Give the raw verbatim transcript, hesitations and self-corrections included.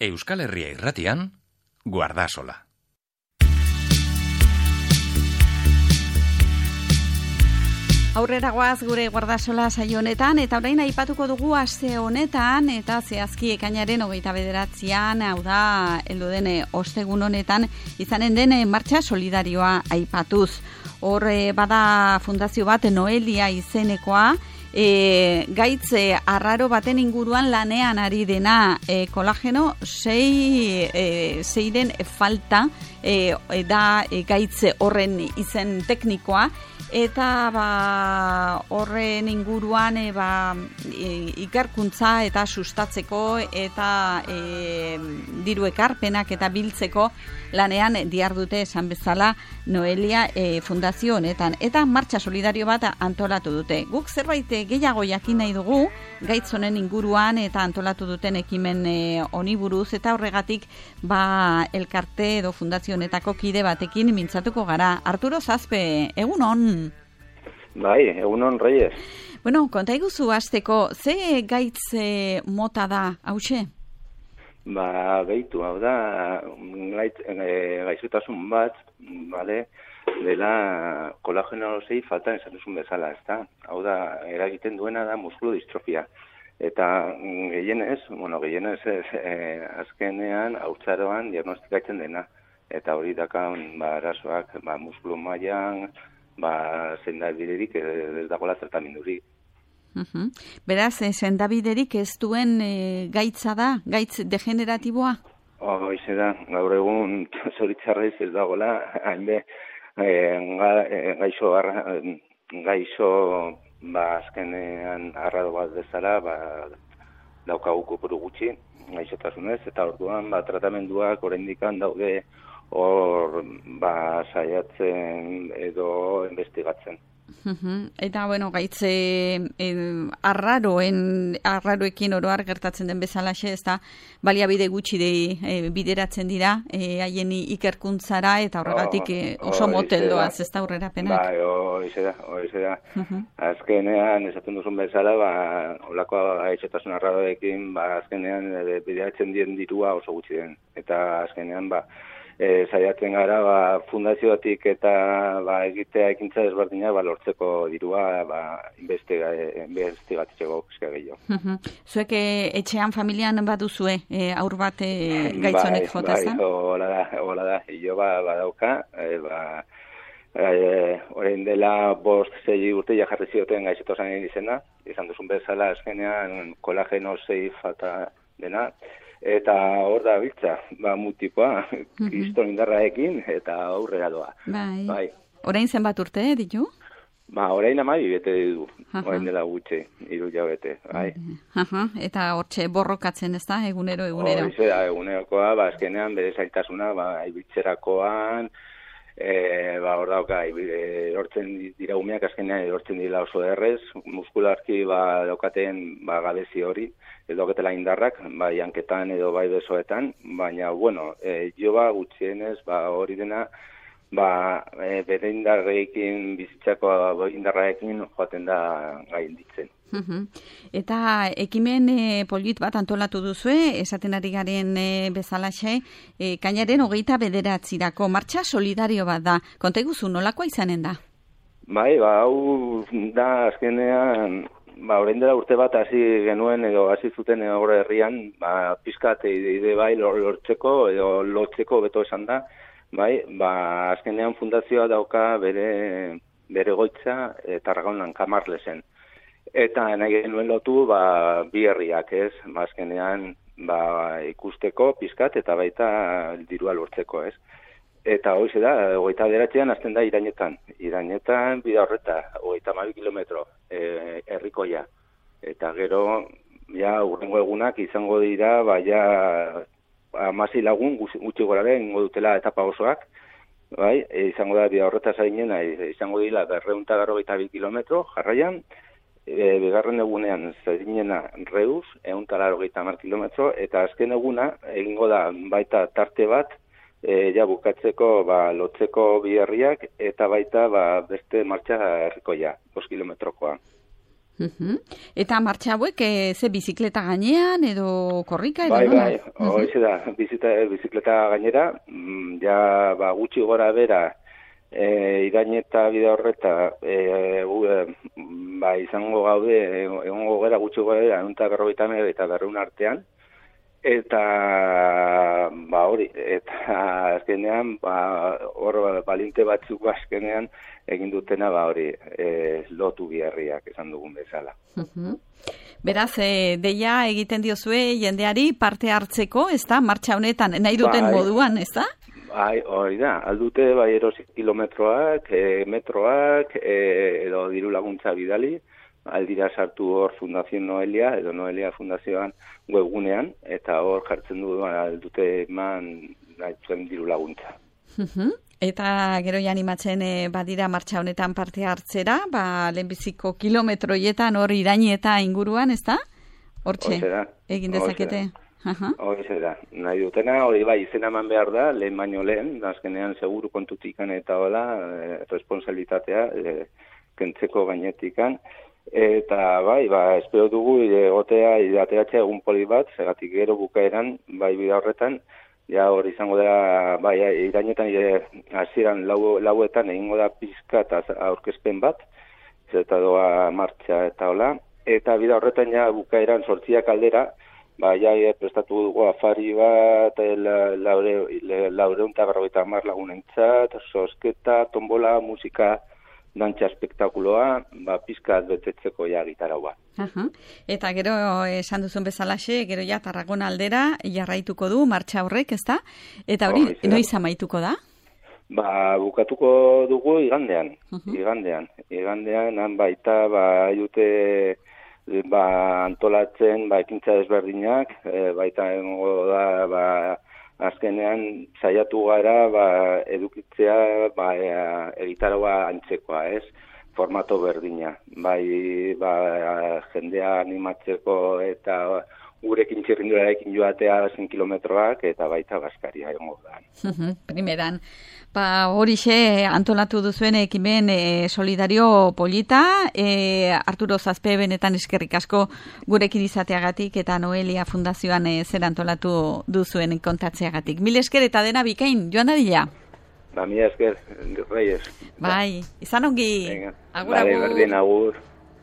Euskal Herria Irratian, Guardasola. Aurrera goaz gure Guardasola saio honetan, eta orain aipatuko dugu aste honetan, eta zehazki ekainaren hogeita bederatzian, hau da, heldu den ostegun honetan, izanen den martxa solidarioa aipatuz. Hor bada fundazio bat, Noelia izenekoa, E, gaitz e, arraro baten inguruan lanean ari dena e, kolageno sei, e, zeiren falta e, da e, gaitz horren izen teknikoa, eta ba, horren inguruan e, ba, e, ikerkuntza eta sustatzeko eta e, diru ekarpenak eta biltzeko lanean dihardute esan bezala Noelia e, fundazio honetan, eta martxa solidario bat antolatu dute. Guk zerbait gehiago jakin nahi dugu gaitz honen inguruan eta antolatu duten ekimen e, honi buruz, eta horregatik ba elkarte edo fundazio honetako kide batekin mintzatuko gara. Arturo Zazpe, egun on. Bai, egun on, Reyes. Bueno, konta iguzu hasteko, ze gaitz e, mota da, hauxe? Ba, behitu, hau da, gaitz, e, gaizutasun bat, bale, dela kolagenosei falta esan duzun bezala, ez da? Hau da, eragiten duena da muskulu distrofia. Eta gehienez, bueno, gehienez ez, e, azkenean, haurtzaroan diagnostikatzen dena. Eta hori dakan, ba, arazoak, ba, muskulu mailan, ba, sendabiderik ez dagoela tratamendurik. Uh-huh. Beraz, eh, sendabiderik ez duen e, gaitza da, gaitz degeneratiboa? Hoize da, gaur egun zoritzarrez ez dagoela, hainbe, e, ga, e, gaixo, arra, gaixo, ba, azkenean arrado bat bezala, ba, daukagu kopuru gutxi, gaixotasunez, eta orduan, ba, tratamenduak oraindikan daude hor, ba, saiatzen edo investigatzen. Uh-huh. Eta, bueno, gaitze eh, arraroen, arraroekin oroar gertatzen den bezalaxe, ez da, baliabide gutxi de, eh, bideratzen dira, haien eh, ikerkuntzara, eta horregatik eh, oso oh, moteldoaz, ez da aurrerapenak. Bai, hoize da, hoize da. Uh-huh. Azkenean, esaten duzun bezala, ba, olako gaixotasun arraroekin, ba, azkenean e, bideratzen dien dirua oso gutxi den. Eta azkenean, ba, E, saiatzen gara, ba, fundazioatik eta ba, egitea ekintza desberdina ba, lortzeko dirua ba, investiga, investigatzeko gehiago. Uh-huh. Zuek etxean familian baduzue e, aur bat e, gaitzonek jota bai, zen? Bai, hola da, hola da. Io ba, badauka, e, ba, e, orain dela bost zei urte ja jarri zioten gaixotasun izena, izan duzun bezala azkenean kolageno sei falta dena. Eta hor da biltza, ba, mutipoa, mm-hmm. kriston indarraekin, eta aurrera doa. Bai. Bai. Orain zenbat urte, ditu? Ba, orain amabi bete du, orain dela gutxe, hiru jabete, bai. Aha. Eta hortxe borrokatzen ez da, egunero, egunero? Horize da, egunerokoa, ba, azkenean, bere zailtasuna, ba, ibiltzerakoan, e, ba, hor dauka, erortzen dira umeak, azkenean erortzen dira oso errez, muskularki, ba, daukaten, ba, gabezi hori, edo getela indarrak, bai hanketan edo bai besoetan, baina, bueno, e, jo ba, gutxienez, ba, hori dena, ba, e, bere indarrekin, bizitzako indarraekin joaten da gainditzen. Uh-huh. Eta ekimen e, polit bat antolatu duzue, esaten ari garen e, bezalaxe, e, kainaren hogeita bederatzirako, martxa solidario bat da. Konta iguzu, nolakoa izanen da? Bai, ba, hau da azkenean, ba, orain dela urte bat hasi genuen edo hasi zuten horre herrian, ba, pizkat ide bai lortzeko edo lotzeko beto esan da, bai, ba, azkenean fundazioa dauka bere, bere goitza e, Tarragonan Kamarlesen. Eta nahi genuen lotu, ba, bi herriak ez, ba, azkenean ba, ikusteko pizkat eta baita dirua lortzeko ez. Eta hoize da, hogeita bederatzean azten da Irainetan. Irainetan bida horreta, hogeita hamabi kilometro e, herrikoia. Eta gero, ja, urrengo egunak izango dira, ba, ja, hamasei lagun gutxi goraren ingo dutela etapa osoak. Bai, e, izango da bida horreta zainena, e, izango dira berrehun eta berrogeita bi kilometro jarraian. E, bigarren egunean zainena Reus, ehun eta laurogeita hamar kilometro, eta azken eguna egingo da baita tarte bat, E, ja, bukatzeko, ba, lotzeko bi herriak, eta baita, ba, beste martxa herrikoia, bost kilometrokoa. Uh-huh. Eta martxa hauek, e, ze bizikleta gainean edo korrika edo bai, nola? Bai, bai, hori da, bizita, bizikleta gainera, ja ba, gutxi gora bera, e, iraineta bide horreta, e, e, ba, izango gaude, egongo gara gutxi gora bera, ehun eta berrogeita hamar eta berrehun artean, eta ba hori, eta azkenean ba hor balinte batzuk azkenean egin dutena ba hori, e, lotu biherriak esan dugun bezala. Uh-huh. Beraz, e, deia egiten diozue jendeari parte hartzeko, ezta? Martxa honetan nahi duten bai, moduan, ezta? Bai, hori da, aldute bai erosi kilometroak, e, metroak, e, edo diru laguntza bidali, aldira sartu hor Fundación Noelia, edo Noelia Fundazioan webgunean, eta hor jartzen du aldute eman nahi diru laguntza. Uh-huh. Eta gero ja animatzen e, badira martxa honetan parte hartzera, ba, lehenbiziko kilometroietan hor iraini eta inguruan, ezta? Hortxe, egin dezakete. Hori da, nahi dutena, hori bai, izena eman behar da, lehen baino lehen, azkenean seguru kontutikan eta hola, e, responsabilitatea, e, kentzeko gainetikan, eta bai, ba, espero dugu egotea idateatzea egun poli bat, segatik gero bukaeran, bai bida horretan, ja hori izango da, bai, irainetan hasieran lau, lauetan egingo da pizka eta aurkezpen bat, eta doa martxa eta hola, eta bida horretan ja bukaeran sortziak aldera, ba, ja prestatu dugu afari bat, laureun eta berrogeita hamar lagunentzat, sosketa, tombola, musika, dantza espektakuloa, ba, pizkat betetzeko ja gitarau bat. Aha. Eta gero esan duzun bezalaxe, gero ja Tarragona aldera jarraituko du martxa horrek, ezta? Eta hori, oh, noiz amaituko da? Ba, bukatuko dugu igandean, uh-huh. igandean. Igandean, han baita, ba, jute, ba, antolatzen, ba, ekintza desberdinak, e, baita engo da, ba, azkenean saiatu gara ba, edukitzea ba, egitaroa antzekoa, ez? Formato berdina. Bai, ba, jendea animatzeko eta gurekin txirrindularekin joatea zen kilometroak eta baita baskaria egongo da. Primeran, ba, horixe antolatu duzuen ekimen e, solidario polita, e, Arturo Zazpe benetan eskerrik asko gurekin izateagatik eta Noelia Fundazioan e, zer antolatu duzuen kontatzeagatik. Mil esker eta dena bikain, joan dadila? Ba, mila esker, Reyes. Bai, izan ongi. Venga, agur, bale, agur. Berdin, agur.